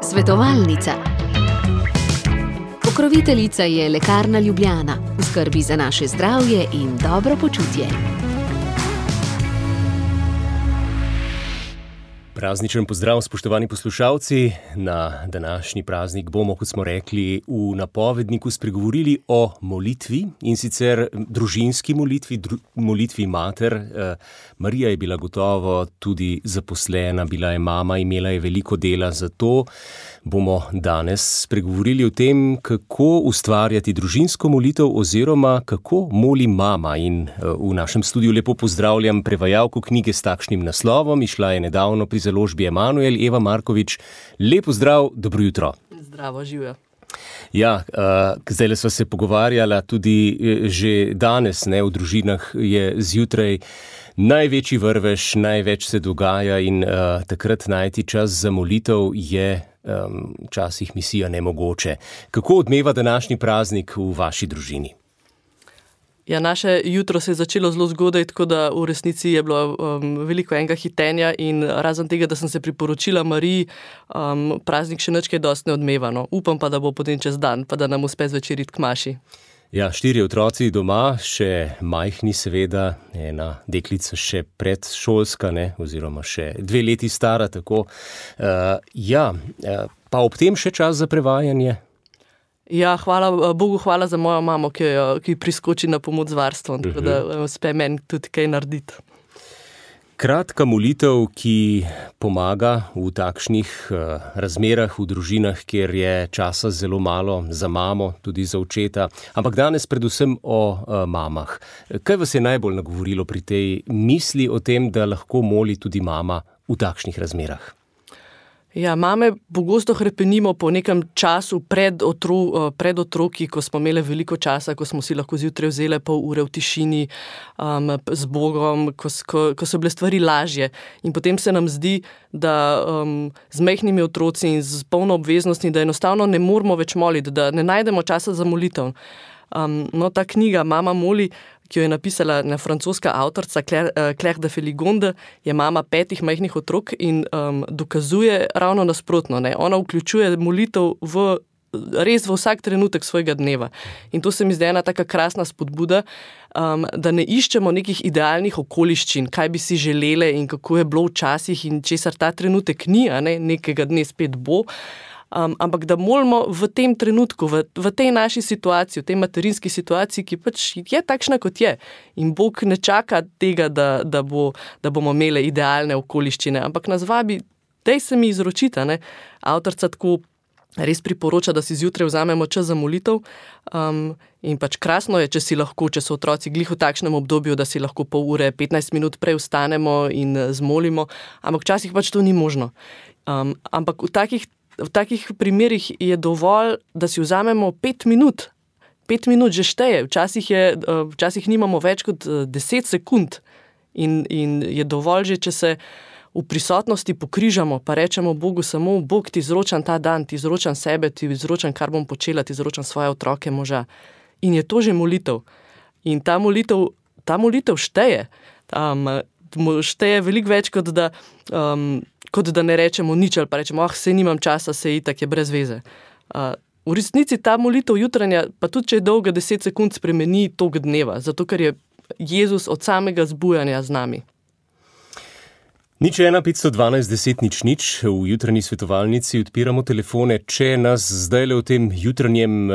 Svetovalnica. Pokroviteljica je Lekarna Ljubljana, v skrbi za naše zdravje in dobro počutje. Prazničen pozdrav, spoštovani poslušalci. Na današnji praznik bomo, kot smo rekli, v napovedniku spregovorili o molitvi, in sicer družinski molitvi, molitvi mater. Marija je bila gotovo tudi zaposlena, bila je mama, imela je veliko dela, zato bomo danes spregovorili o tem, kako ustvarjati družinsko molitev oziroma kako moli mama. In v našem studiu lepo pozdravljam prevajalko knjige s takšnim naslovom, izšla je nedavno pri založbi Emanuel, Eva Markovič. Lep pozdrav, dobro jutro. Zdravo, živijo. Ja, zdajle sva se pogovarjala tudi že danes, v družinah je zjutraj največji vrvež, največ se dogaja in takrat najti čas za molitev je včasih misija nemogoče. Kako odmeva današnji praznik v vaši družini? Ja, naše jutro se je začelo zelo zgodaj, tako da v resnici je bilo veliko enega hitenja in razen tega, da sem se priporočila Mariji, praznik še nič kaj dosti ne odmeva. No. Upam pa, da bo potem čez dan, pa da nam uspe zvečer iti k maši. Ja, 4 otroci doma, še majhni seveda, ena deklica še predšolska, oziroma še 2 leti stara, tako. Pa ob tem še čas za prevajanje? Ja, hvala Bogu, hvala za mojo mamo, ki priskoči na pomoč z varstvom, tako da uspe meni tudi kaj narediti. Kratka molitev, ki pomaga v takšnih razmerah v družinah, kjer je časa zelo malo za mamo, tudi za očeta, ampak danes predvsem o mamah. Kaj vas je najbolj nagovorilo pri tej misli o tem, da lahko moli tudi mama v takšnih razmerah? Ja, mame pogosto hrepenimo po nekem času pred otroki, ko smo imeli veliko časa, ko smo si lahko zjutraj vzeli pol ure v tišini z Bogom, ko so bile stvari lažje. In potem se nam zdi, da z majhnimi otroci in z polno obveznosti, da enostavno ne moramo več moliti, da ne najdemo časa za molitev. Ta knjiga Mama moli, ki jo je napisala francoska avtorica Claire de Feligonde, je mama 5 majhnih otrok in dokazuje ravno nasprotno. Ona vključuje molitev res v vsak trenutek svojega dneva. In to se mi zdi ena taka krasna spodbuda, da ne iščemo nekih idealnih okoliščin, kaj bi si želele in kako je bilo včasih in česar ta trenutek ni, nekega dne spet bo. Ampak da molimo v tem trenutku, v tej naši situaciji, v tej materinski situaciji, ki pač je takšna, kot je. In Bog ne čaka tega, da bomo imeli idealne okoliščine, ampak nas vabi, daj se mi izročita. Avtorica tako res priporoča, da si zjutraj vzamemo čas za molitev. In pač krasno je, če so otroci glih v takšnem obdobju, da si lahko pol ure, 15 minut prej vstanemo in zmolimo, ampak včasih pač to ni možno. Ampak v takih primerih je dovolj, da si vzamemo 5 minut. 5 minut že šteje. Včasih nimamo več kot 10 sekund. In je dovolj že, če se v prisotnosti pokrižamo, pa rečemo Bogu samo, Bog, ti izročam ta dan, ti izročam sebe, ti izročam, kar bom počela, ti izročam svoje otroke, moža. In je to že molitev. In ta molitev šteje. Šteje veliko več, kot da ne rečemo nič, ali pa rečemo, saj nimam časa, saj itak je brez veze. V resnici ta molitev jutranja, pa tudi če je dolga 10 sekund, spremeni tok dneva, zato ker je Jezus od samega zbujanja z nami. 01 512 10 00, v jutranji svetovalnici odpiramo telefone. Če nas zdajle v tem jutranjem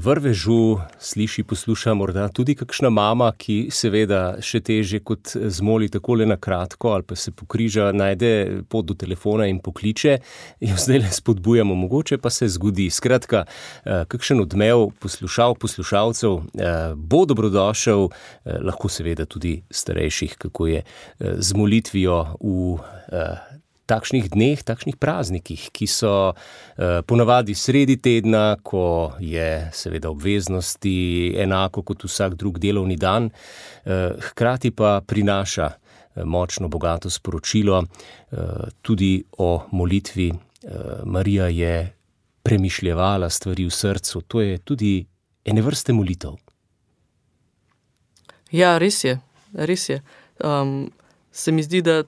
vrvežu sliši, posluša morda tudi kakšna mama, ki seveda še teže kot zmoli takole na kratko ali pa se pokriža, najde pot do telefona in pokliče, jo zdajle spodbujamo, mogoče pa se zgodi. Skratka, kakšen odmev poslušalcev bo dobrodošel, lahko seveda tudi starejših, kako je z molitvijo v takšnih dneh, takšnih praznikih, ki so ponavadi sredi tedna, ko je seveda obveznosti enako kot vsak drug delovni dan, hkrati pa prinaša močno, bogato sporočilo tudi o molitvi. Marija je premišljevala stvari v srcu, to je tudi ene vrste molitev. Ja, res je. se mi zdi, da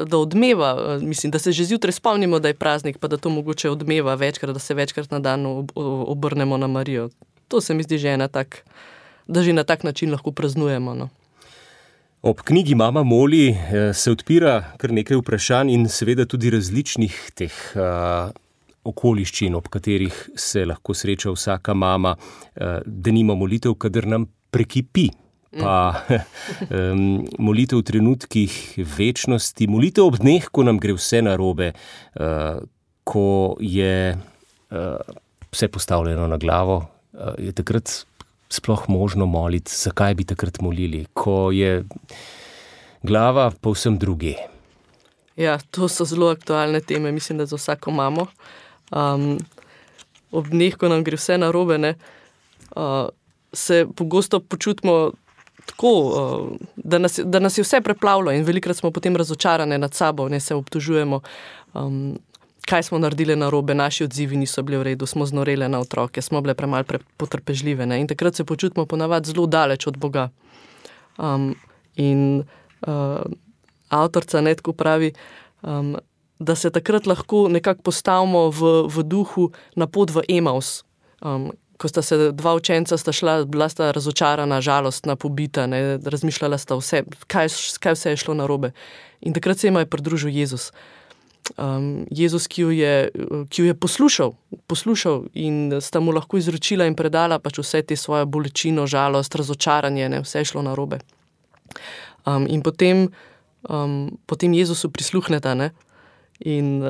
da odmeva, mislim, da se že zjutraj spomnimo, da je praznik, pa da to mogoče odmeva večkrat, da se večkrat na dan obrnemo na Marijo. To se mi zdi že da že na tak način lahko praznujemo. No. Ob knjigi Mama moli se odpira kar nekaj vprašanj in seveda tudi različnih teh okoliščin, ob katerih se lahko sreča vsaka mama, denimo molitev, kadar nam prekipi, pa molitev v trenutkih večnosti, molitev ob dneh, ko nam gre vse narobe, ko je vse postavljeno na glavo, je takrat sploh možno moliti. Zakaj bi takrat molili, ko je glava povsem druge? Ja, to so zelo aktualne teme, mislim, da za vsako mamo. Ob dneh, ko nam gre vse narobe, ne, se pogosto počutimo tako, da nas je vse preplavilo in velikokrat smo potem razočarane nad sabo, ne, se obtožujemo, kaj smo naredili narobe, naši odzivi niso bili v redu, smo znorele na otroke, smo bile premalo potrpežljive, ne, in takrat se počutimo ponavadi zelo daleč od Boga. Avtorica tako pravi, da se takrat lahko nekako postavimo v duhu na pot v Emaus. Ko sta se dva učenca šla, bila sta razočarana, žalostna, pobita, ne, razmišljala sta vse, kaj vse je šlo narobe. In takrat se jima je pridružil Jezus. Jezus, ki jo je poslušal in sta mu lahko izročila in predala pač vse te svoje bolečino, žalost, razočaranje, ne, vse je šlo narobe. In potem Jezusu prisluhneta, ne, in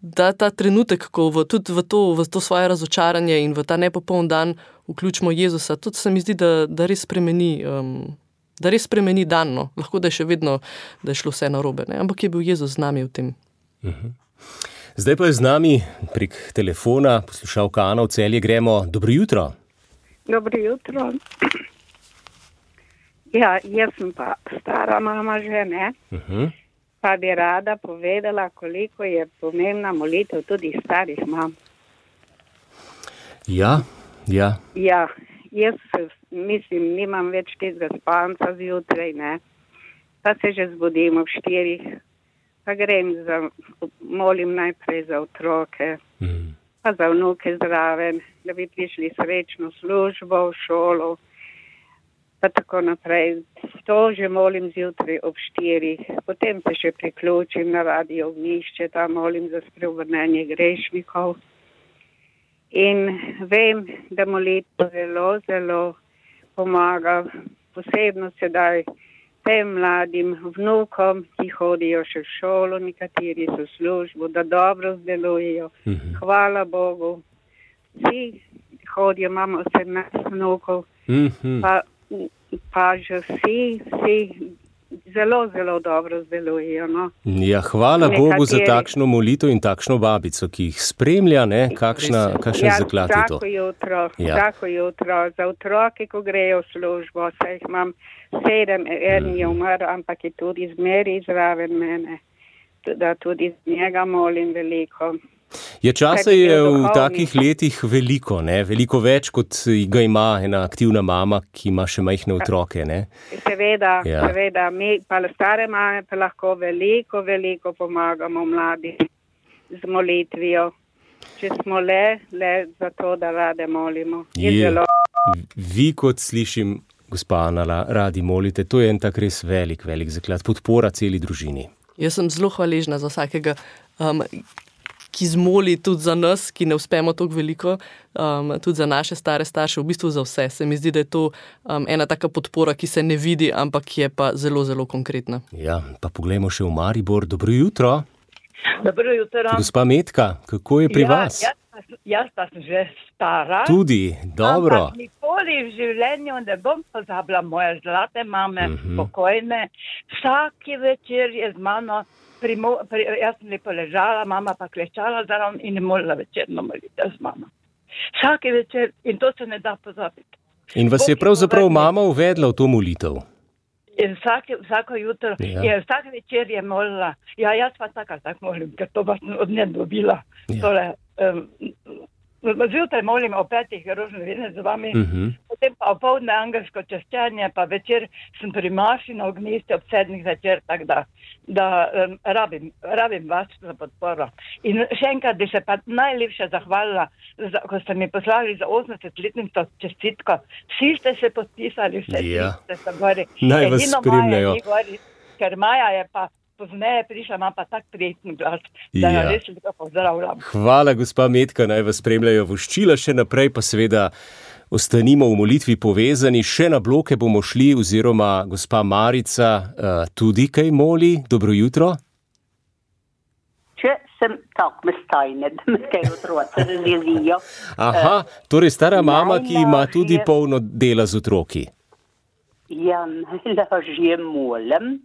da ta trenutek, ko tudi v to svoje razočaranje in v ta nepopoln dan vključimo Jezusa, tudi se mi zdi, da res spremeni dan, no. Lahko da je še vedno, da je šlo vse narobe, ne, ampak je bil Jezus z nami v tem. Zdaj pa je z nami prek telefona poslušalka Ana v Celje. Gremo. Dobro jutro. Dobro jutro. Ja, jaz sem pa stara mama že, ne? Pa bi rada povedala, koliko je pomembna molitev tudi starih mam. Ja. Ja, jaz mislim, nimam več tega spanca zjutraj, ne? Pa se že zbudim ob 4, pa grem molim najprej za otroke, pa za vnuke zraven, da bi prišli srečno službo, v šolo, pa tako naprej. To že molim zjutraj ob 4. Potem se še priključim na Radio Ognjišče, tam molim za spreobrnenje grešnikov. In vem, da molitev zelo, zelo pomaga, posebno sedaj tem mladim vnukom, ki hodijo še v šolo, nekateri so v službo, da dobro zdelujejo. Hvala Bogu. Vsi hodijo, imamo 18 vnukov, pa že vsi zelo, zelo dobro zdelujejo. No. Ja, hvala Bogu za takšno molitev in takšno babico, ki jih spremlja, ne? Kakšen zaklad je to? Vsako jutro. Za otroke, ko grejo v službo, saj jih imam 7, en je umrl, ampak je tudi zmeri zraven mene, da tudi z njega molim veliko. Časa je v takih letih veliko, ne? Veliko več, kot ga ima ena aktivna mama, ki ima še majhne otroke, ne? Seveda, mi pa stare mame pa lahko veliko pomagamo mladim z molitvijo. Če smo le za to, da rade molimo. Vi, kot slišim, gospa Ana, radi molite, to je en tak res velik zaklad, podpora celi družini. Jaz sem zelo hvaležna za vsakega, ki zmoli tudi za nas, ki ne uspemo toliko veliko, tudi za naše stare starše, v bistvu za vse. Se mi zdi, da je to ena taka podpora, ki se ne vidi, ampak je pa zelo, zelo konkretna. Ja, pa poglejmo še v Maribor. Dobro jutro. Dobro jutro. Gospa Metka, kako je pri vas? Jaz pa sem že stara. Tudi, dobro. Ampak nikoli v življenju ne bom pozabila moje zlate mame, spokojne. Vsaki večer je z mano, jaz sem lepo ležala, mama pa klečala zraven in je molila večerno molitev z mama. Vsaki večer, in to se ne da pozabiti. In vas je pravzaprav mama uvedla v to molitev? In vsako jutro, vsak večer je molila. Ja, jaz pa tako molim, ker to pa sem od nje dobila. Tole zjutraj molim o 5 rožne vine z vami, potem pa opoldne angelsko češčenje, pa večer sem pri maši na ognjišču ob 7 zvečer, tako da rabim vas za podporo. In še enkrat bi se pa najlepše zahvalila, ko ste mi poslali za 80-letnico čestitko. Vsi ste se podpisali, vsi ste se gori. Naj vas spremljajo. Ker Maja je pa pozneje prišla, ima pa tak prijetni glas, da jo res lepo pozdravljam. Hvala, gospa Metka, naj vas spremljajo voščila, še naprej pa seveda ostanimo v molitvi povezani, še na bloke bomo šli, oziroma gospa Marica tudi kaj moli. Dobro jutro. Če sem tako mestajne, da me kaj otroci razjezijo. Aha, torej stara mama, ki ima tudi polno dela z otroki. Ja, najlažje molim.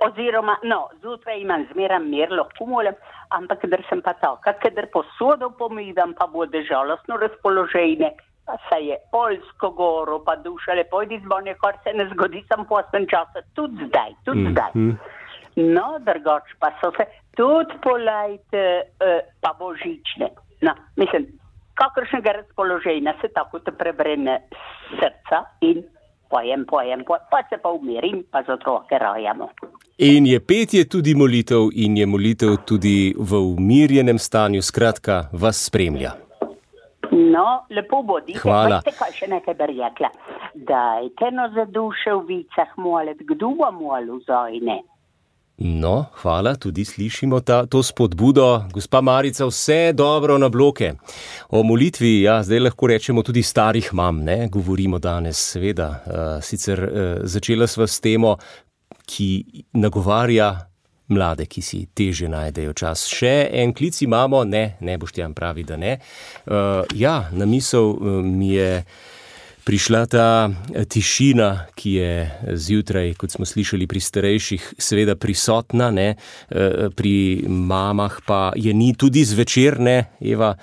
Oziroma, zjutraj imam zmeraj mir, lahko molim, ampak kadar sem pa taka, kadar posodo pomivam, pa bude žalostno razpoloženje, pa se je Poljsko goro, pa duša lepo izbonje, kar se ne zgodi sam poslen časa, tudi zdaj. No, drugač pa so se tudi polajte, pa božične. No, mislim, kakršnega razpoloženja se tako te prebrene srca in pojem, pa se pa umirim, pa za otroke rajamo. In je petje tudi molitev in je molitev tudi v umirjenem stanju, skratka, vas spremlja. No, lepo bodite. Hvala. Veste, kaj še nekaj bi rekla? Dajte za duše v vicah molit, kdo bo molil zajne? No, hvala, tudi slišimo to spodbudo. Gospa Marica, vse dobro na bloke. O molitvi, zdaj lahko rečemo tudi starih mam, ne? Govorimo danes, seveda. Sicer začela sva s temo, ki nagovarja mlade, ki si teže najdejo čas. Še en klic imamo? Ne, Boštjan pravi, da ne. Na misel mi je prišla ta tišina, ki je zjutraj, kot smo slišali pri starejših, seveda prisotna, ne? Pri mamah pa je ni tudi zvečer, ne, Eva?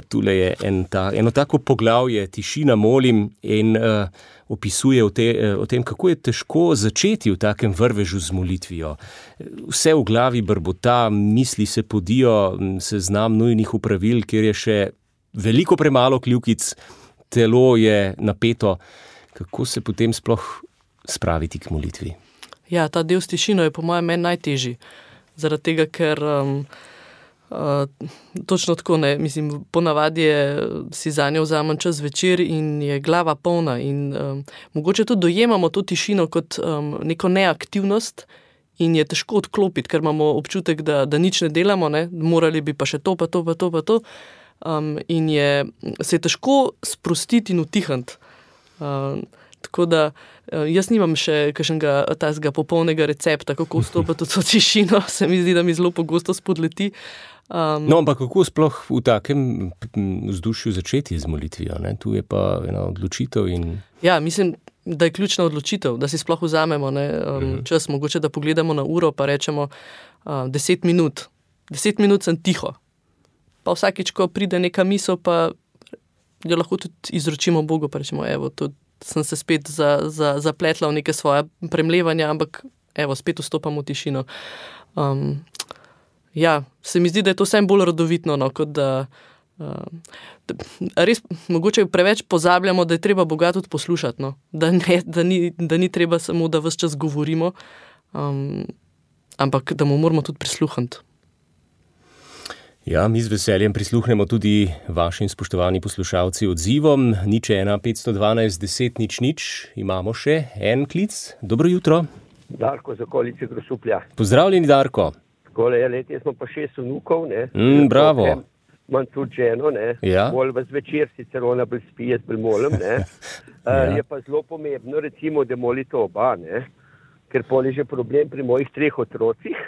Tule je eno tako poglavje, tišina molim, in opisuje o tem, kako je težko začeti v takem vrvežu z molitvijo. Vse v glavi brbota, misli se podijo, seznam nujnih opravil, kjer je še veliko premalo kljukic, telo je napeto. Kako se potem sploh spraviti k molitvi? Ja, ta del s tišino je po mojem meni najtežji. Zaradi tega, ker točno tako, ne, mislim, ponavadi si zanjo vzamem čas večer in je glava polna in mogoče tudi dojemamo to tišino kot neko neaktivnost in je težko odklopiti, ker imamo občutek, da nič ne delamo, ne, morali bi pa še to, pa to. In se je težko sprostiti in utihniti. Tako da jaz nimam še kakšnega tazga popolnega recepta, kako vstopiti v to tišino, se mi zdi, da mi zelo pogosto spodleti. Ampak kako sploh v takem vzdušju začeti z molitvijo, ne? Tu je pa ena odločitev in... Ja, mislim, da je ključna odločitev, da si sploh vzamemo čas, mogoče da pogledamo na uro, pa rečemo 10 minut. 10 minut sem tiho. Pa vsakič, ko pride neka misel, pa jo lahko tudi izročimo Bogu, pa rečemo, evo, tudi sem se spet zapletla v neke svoje premlevanja, ampak evo, spet vstopam v tišino. Se mi zdi, da je to vsem bolj rodovitno, kot da res mogoče preveč pozabljamo, da je treba Boga tudi poslušati, no? Da ni treba samo, da ves čas govorimo, ampak da mu moramo tudi prisluhniti. Ja, mi z veseljem prisluhnemo tudi vašim spoštovani poslušalci odzivom. 01 512 10 00. Imamo še en klic. Dobro jutro. Darko z okolice Grosuplja. Pozdravljeni, Darko. Takole je let, jaz smo pa 6 vnukov, ne. Bravo. Imam tudi ženo, ne. Ja. Bolj v zvečer, sicer ona bolj spi, jaz bolj molim, ne. Je pa zelo pomembno, recimo, da molite oba, ne. Ker pol je že problem pri mojih 3 otrocih.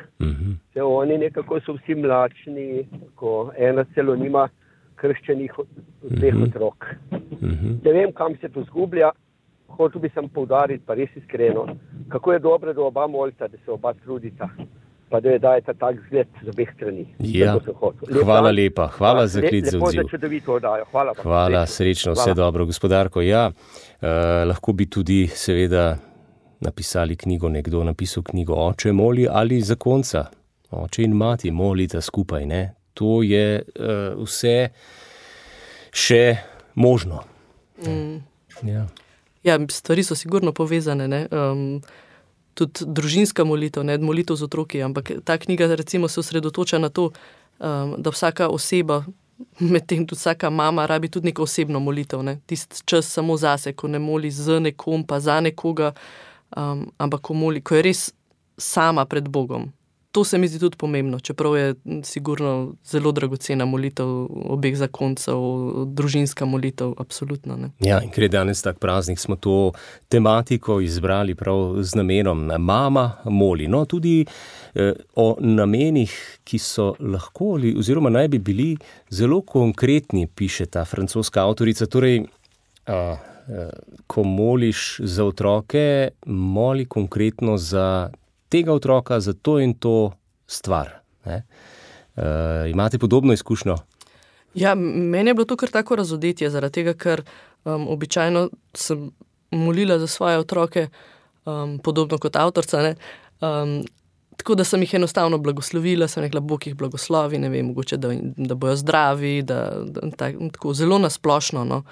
Se oni nekako so vsi mlačni, ko ena celo nima krščenih 2 otrok. Ne vem, kam se to zgublja, hotel bi sem poudariti, pa res iskreno, kako je dobro, da oba molita, da se oba trudita, pa da je dajeta tak zgled z obeh strani. Ja, hvala lepa, hvala za klic za odziv. Lepo za čudovito oddajo, hvala. Hvala, srečno, vse dobro, gospodarko. Ja, lahko bi tudi seveda napisali knjigo, nekdo napisal knjigo Oče moli ali zakonca. Oče in mati molita skupaj, ne. To je vse še možno. Ja, stvari so sigurno povezane, ne? Tudi družinska molitev, ne? Molitev z otroki, ampak ta knjiga recimo se osredotoča na to, da vsaka oseba, medtem tudi vsaka mama rabi tudi neko osebno molitev, ne? Tist čas samo zase, ko ne moli z nekom pa za nekoga, ampak ko moli, ko je res sama pred Bogom. To se mi zdi tudi pomembno, čeprav je sigurno zelo dragocena molitev obeh zakoncev, družinska molitev, absolutno. Ne? Ja, in ker je danes tak praznik, smo to tematiko izbrali prav z namenom. Mama moli. No, tudi o namenih, ki so lahko oziroma naj bi bili zelo konkretni, piše ta francoska avtorica. Torej, ko moliš za otroke, moli konkretno za tega otroka, za to in to stvar. Imate podobno izkušnjo? Ja, meni je bilo to kar tako razodetje, zaradi tega, ker običajno sem molila za svoje otroke, podobno kot avtorica, ne? Tako da sem jih enostavno blagoslovila, sem rekla, Bog jih blagoslovi, ne vem, mogoče, da bojo zdravi, tako zelo nasplošno, no.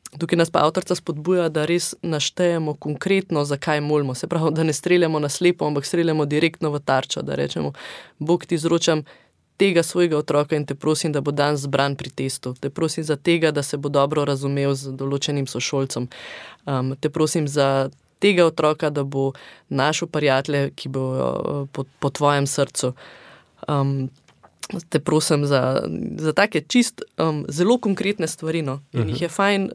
Tukaj nas pa avtorica spodbuja, da res naštejemo konkretno, zakaj molimo. Se pravi, da ne streljamo na slepo, ampak streljamo direktno v tarčo, da rečemo, Bog, ti izročam tega svojega otroka in te prosim, da bo dan zbran pri testu. Te prosim za tega, da se bo dobro razumel z določenim sošolcem. Te prosim za tega otroka, da bo našel prijatelje, ki bo po tvojem srcu. Te prosim za take čist zelo konkretne stvari, no. In jih je fajn,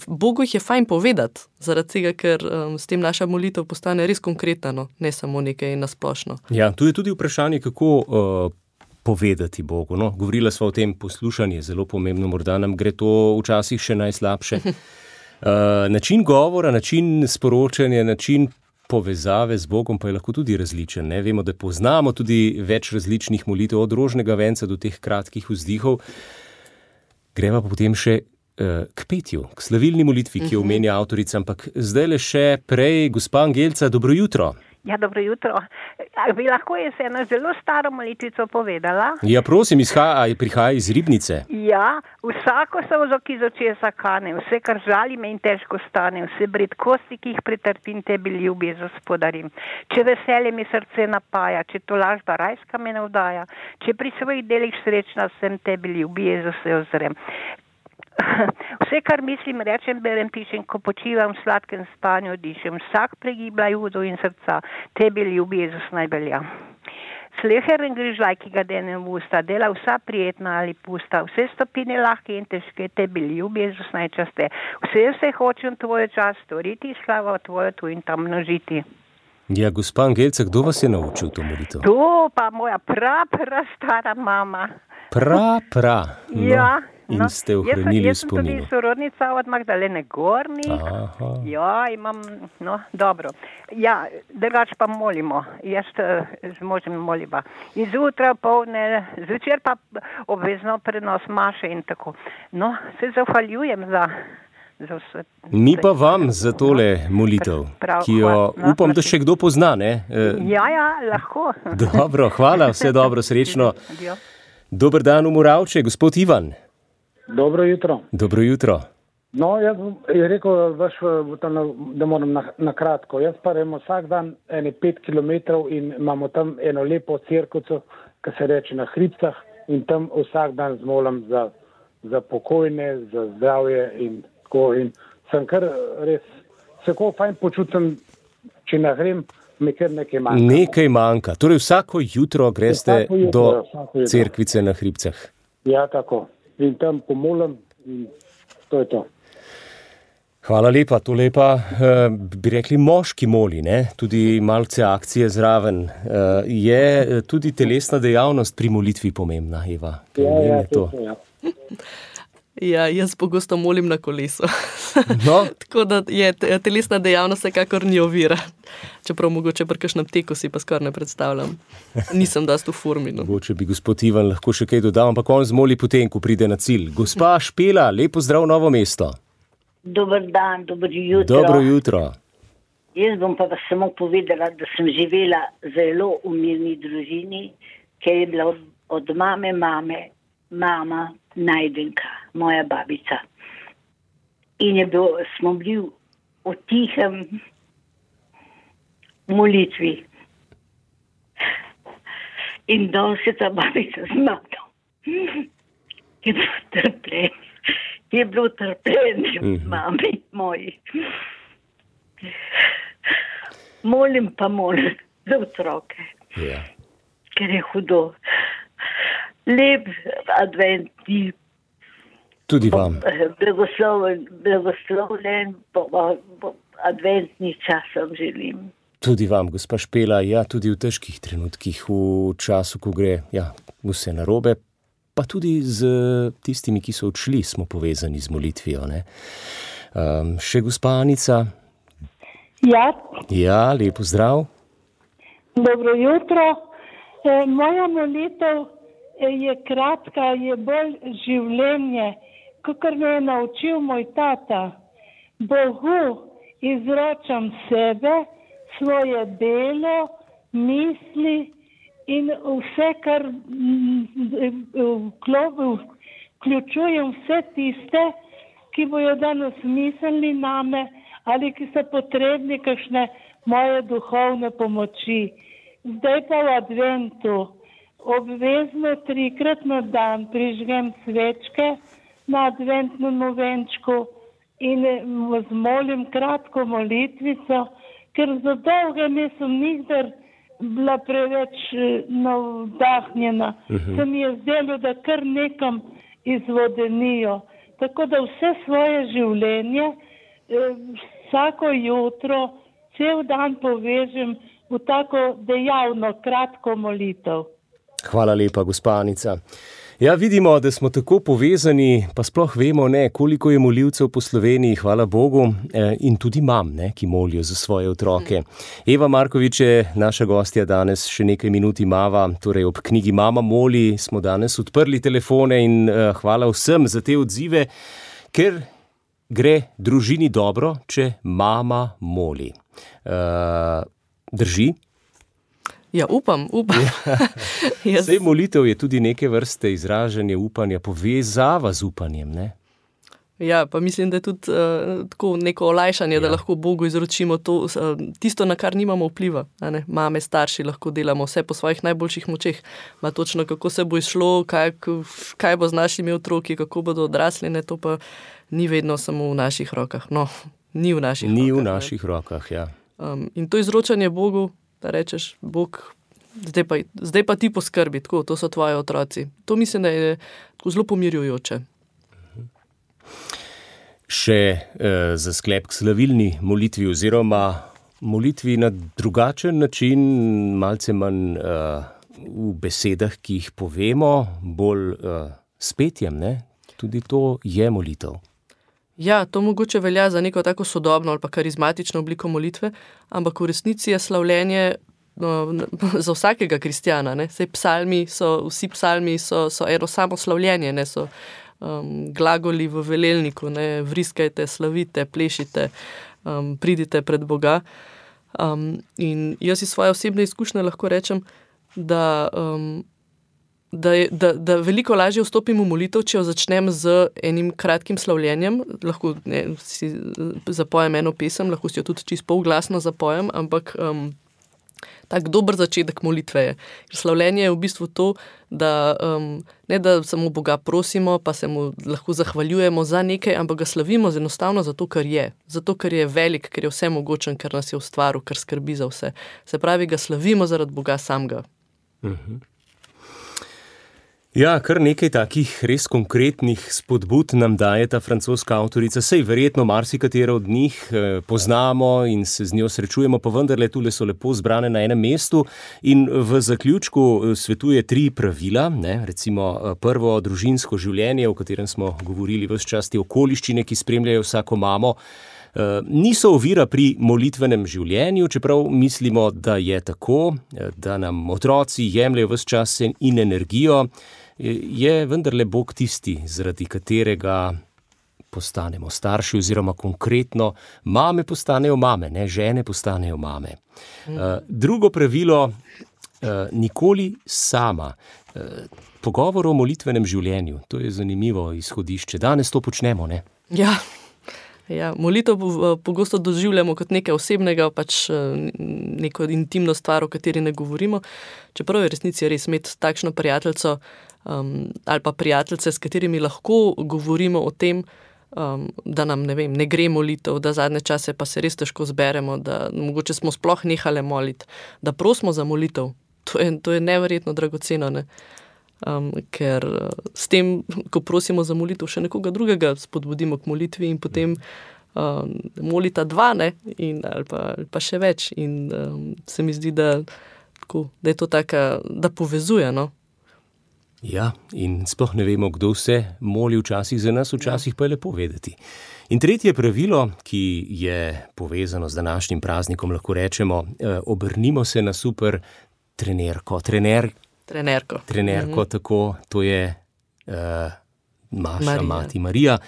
Bogu jih je fajn povedati, zaradi tega, ker s tem naša molitev postane res konkretna, no, ne samo nekaj nasplošno. Ja, tu je tudi vprašanje, kako povedati Bogu, no. Govorila sva o tem, poslušanje je zelo pomembno, morda nam gre to včasih še najslabše. Način govora, način sporočanja, način povezave z Bogom pa je lahko tudi različen. Ne? Vemo, da poznamo tudi več različnih molitev, od rožnega venca do teh kratkih vzdihov. Greva pa potem še k petju, k slavilni molitvi, ki jo omenja avtorica, ampak zdaj le še prej, gospa Angelca, dobro jutro. Ja, dobro jutro. Bi lahko jaz eno zelo staro molitvico povedala? Ja, prosim, prihaja iz Ribnice. Ja, vsako solzo, ki z očesa kane, vse, kar žali me in težko stane, vse bridkosti, ki jih pretrpim, tebi ljubi, Gospodarim. Če veselje mi srce napaja, če tolažba rajska me navdaja, če pri svojih delih srečna sem, tebi ljubi, Jezus, se ozrem. Vse, kar mislim, rečem, berem, pišem, ko počivam v sladkem spanju, dišem, vsak pregibla judo in srca, tebi ljubi, Jezus, najbelja. Sleheren grižlaj, ki ga denem v usta, dela vsa prijetna ali pusta, vse stopine lahke in težke, tebi ljubi, Jezus, najčaste. Vse hočem tvoj čas storiti, slavo tvojo tu in tam množiti. Ja, gospa Angelca, kdo vas je naučil to molitev? To pa moja stara mama. No. Ja. In ste ohranili v spominu. Jaz sem tudi sorodnica od Magdalene Gornik. Ja, imam, dobro. Ja, drugače pa molimo. Jaz z možem moliva. In zjutraj, povdne, zvečer pa obvezno prenos maše in tako. No, se zahvaljujem za vse. Mi pa vam za tole molitev, ki jo upam, da še kdo pozna, ne? Ja, lahko. Dobro, hvala, vse dobro, srečno. Dober dan v Moravče, gospod Ivan. Dobro jutro. Dobro jutro. No, jaz je rekel, da moram na kratko. Jaz pa remo vsak dan 5 kilometrov in imamo tam eno lepo cerkvico, ki se reče na Hribcah, in tam vsak dan zmolim za pokojne, za zdravje in tako. In sem kar res, se tako fajn počutim, če ne grem, mi kar nekaj manjka. Nekaj manjka. Torej vsako jutro greste do cerkvice na Hribcah. Ja, tako. In tam pomolim in to je to. Hvala lepa, to lepa, bi rekli, moški moli, ne? Tudi malce akcije zraven. Je tudi telesna dejavnost pri molitvi pomembna, Eva? Ja, to. Ja, jaz pogosto molim na kolesu. No. Tako da je telesna dejavnost vsekakor ni ovira. Čeprav mogoče pri kakšnem teku si pa skoraj ne predstavljam. Nisem dosti v formi. No. Mogoče bi gospod Ivan lahko še kaj dodal, ampak on zmoli potem, ko pride na cilj. Gospa Špela, lepo zdrav Novo mesto. Dober dan, dobro jutro. Dobro jutro. Jaz bom pa samo povedala, da sem živela zelo v mirni družini, ker je bila od mame mama Najdenka, moja babica. In smo bili v tihem molitvi. In danes je ta babica zmagala. Je bilo trpljenje mami moji. Molim za otroke, ker je hudo. Lep adventni. Tudi vam. Blagoslovljen adventni čas vam želim. Tudi vam, gospa Špela, ja, tudi v težkih trenutkih, v času, ko gre vse narobe, pa tudi z tistimi, ki so odšli, smo povezani z molitvijo. Še gospa Anica? Ja, lepo zdrav. Dobro jutro. Moja molitev je kratka, je bolj življenje, kakor me je naučil moj tata. Bogu izročam sebe, svoje delo, misli in vse, kar vključujem vse tiste, ki bojo danes mislili name ali ki so potrebni kakšne moje duhovne pomoči. Zdaj pa v adventu obvezno 3-krat na dan prižgem svečke na adventnem venčku in zmolim kratko molitvico, ker za dolge nisem nikdar bila preveč navdahnjena. Se mi je zdelo, da kar nekam izvodenijo. Tako da vse svoje življenje, vsako jutro, cel dan povežem v tako dejavno, kratko molitev. Hvala lepa, gospa Anica. Ja, vidimo, da smo tako povezani, pa sploh vemo, koliko je molivcev po Sloveniji, hvala Bogu, in tudi mam, ki molijo za svoje otroke. Eva Markovič je naša gostja danes, še nekaj minut imava, torej ob knjigi Mama moli smo danes odprli telefone in hvala vsem za te odzive, ker gre družini dobro, če mama moli. Drži? Ja, upam. Zdaj molitev je tudi neke vrste izražanje upanja, povezava z upanjem, ne? Ja, pa mislim, da je tudi tako neko olajšanje, da lahko Bogu izročimo to, tisto, na kar nimamo vpliva. Mame, starši lahko delamo vse po svojih najboljših močeh. Ma točno, kako se bo izšlo, kaj bo z našimi otroki, kako bodo odrasli, to pa ni vedno samo v naših rokah. No, ni v naših rokah. Ni v naših rokah, ja. In to izročanje Bogu, da rečeš, Bog, zdaj pa ti poskrbi, tako, to so tvoji otroci. To mislim, da je zelo pomirjujoče. Še za sklep k slavilni molitvi oziroma molitvi na drugačen način, malce manj v besedah, ki jih povemo, bolj s petjem, ne? Tudi to je molitev. Ja, to mogoče velja za neko tako sodobno ali pa karizmatično obliko molitve, ampak v resnici je slavljenje za vsakega kristjana. Vsi psalmi so eno samo slavljenje, so glagoli v velelniku, vriskajte, slavite, plešite, pridite pred Boga. In jaz iz svoje osebne izkušnje lahko rečem, da veliko lažje vstopim v molitev, če jo začnem z enim kratkim slavljenjem. Lahko si zapojem eno pesem, lahko si jo tudi čisto polglasno zapojem, ampak tak dober začetek molitve je. Slavljenje je v bistvu to, da ne da samo Boga prosimo, pa se mu lahko zahvaljujemo za nekaj, ampak ga slavimo enostavno zato, ker je. Zato, ker je velik, ker je vsemogočen, ker nas je ustvaril, ker skrbi za vse. Se pravi, ga slavimo zaradi Boga samega. Ja, kar nekaj takih res konkretnih spodbud nam daje ta francoska avtorica, sej verjetno marsikatera od njih poznamo in se z njo srečujemo, pa vendarle tule so lepo zbrane na enem mestu in v zaključku svetuje 3 pravila, recimo prvo družinsko življenje, o katerem smo govorili ves čas, te okoliščine, ki spremljajo vsako mamo, niso ovira pri molitvenem življenju, čeprav mislimo, da je tako, da nam otroci jemljajo ves čas in energijo, je vendarle Bog tisti, zaradi katerega postanemo starši oziroma konkretno mame postanejo mame, žene postanejo mame. Drugo pravilo nikoli sama. Pogovor o molitvenem življenju, to je zanimivo izhodišče. Danes to počnemo, ne? Ja, molitev pogosto doživljamo kot nekaj osebnega, pač neko intimno stvar, o kateri ne govorimo. Čeprav je resnici res imeti takšno prijateljico ali pa prijateljice, s katerimi lahko govorimo o tem, da nam, ne gre molitev, da zadnje čase pa se res težko zberemo, da mogoče smo sploh nehale moliti, da prosimo za molitev. To je neverjetno dragoceno, ne? Ker s tem, ko prosimo za molitev še nekoga drugega, spodbudimo k molitvi in potem molita dva, ne? Ali pa še več. In se mi zdi, da je to taka, da povezuje, no? Ja, in sploh ne vemo, kdo vse moli včasih za nas, včasih pa je lepo vedeti. In tretje pravilo, ki je povezano z današnjim praznikom, lahko rečemo, obrnimo se na super trenerko. Trenerko, tako, to je Maša, mati Marija.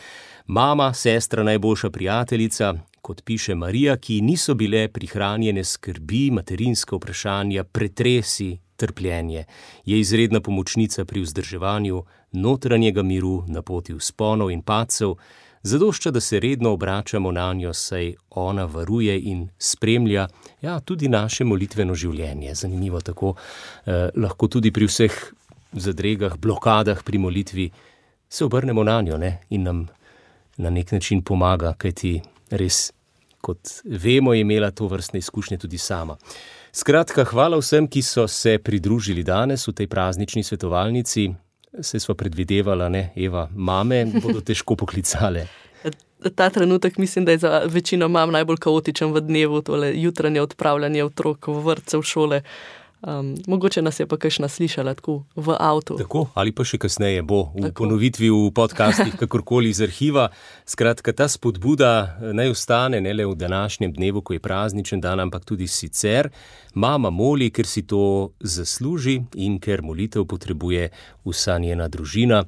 Mama, sestra, najboljša prijateljica, kot piše Marija, ki niso bile prihranjene skrbi, materinska vprašanja, pretresi, trpljenje. Je izredna pomočnica pri vzdrževanju notranjega miru na poti vzponov in padcev, zadošča, da se redno obračamo na njo, saj ona varuje in spremlja tudi naše molitveno življenje. Zanimivo tako, lahko tudi pri vseh zadregah, blokadah pri molitvi se obrnemo na njo, ne? In nam na nek način pomaga, kajti res, kot vemo, je imela to vrstne izkušnje tudi sama. Skratka, hvala vsem, ki so se pridružili danes v tej praznični svetovalnici. Se sva predvidevala, ne, Eva, mame bodo težko poklicale. Ta trenutek mislim, da je za večino mam najbolj kaotičen v dnevu, tole jutranje odpravljanje otrok v vrtce, v šole. Mogoče nas je pa kakšna slišala tako v avtu. Tako, ali pa še kasneje bo v ponovitvi v podcastih, kakorkoli iz arhiva. Skratka, ta spodbuda naj ostane ne le v današnjem dnevu, ko je prazničen dan, ampak tudi sicer. Mama moli, ker si to zasluži in ker molitev potrebuje vsa njena družina.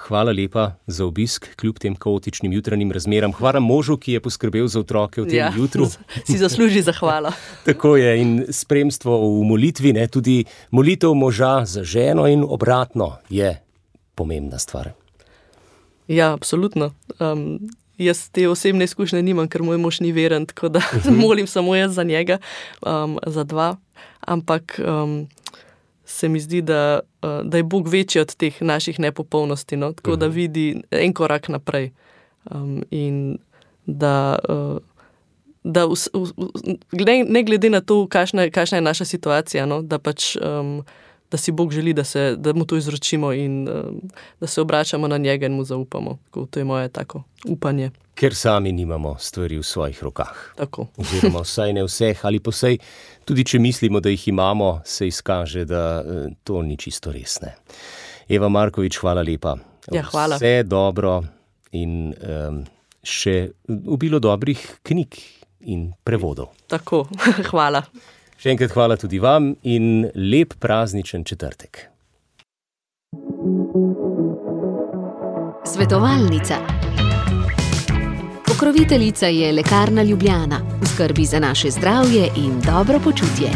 Hvala lepa za obisk, kljub tem kaotičnim jutranjim razmeram. Hvala možu, ki je poskrbel za otroke v tem jutru. Si zasluži zahvala. Tako je, in spremstvo v molitvi, ne, tudi molitev moža za ženo in obratno je pomembna stvar. Ja, absolutno. Jaz te osebne izkušnje nimam, ker moj mož ni veren, tako da molim samo jaz za njega, za dva. Ampak se mi zdi, da je Bog večji od teh naših nepopolnosti, no? Tako da vidi en korak naprej. In da ne glede na to, kakšna je naša situacija, no? Da pač da si Bog želi, da mu to izročimo in da se obračamo na njega in mu zaupamo. To je moje tako upanje. Ker sami nimamo stvari v svojih rokah. Tako. Oziroma vsaj ne vseh, ali pa vsaj tudi če mislimo, da jih imamo, se izkaže, da to ni čisto resne. Eva Markovič, hvala lepa. Ja, hvala. Vse dobro in še obilo dobrih knjig in prevodov. Tako, hvala. Še enkrat hvala tudi vam in lep prazničen četrtek. Svetovalnica. Pokroviteljica je Lekarna Ljubljana. V skrbi za naše zdravje in dobro počutje.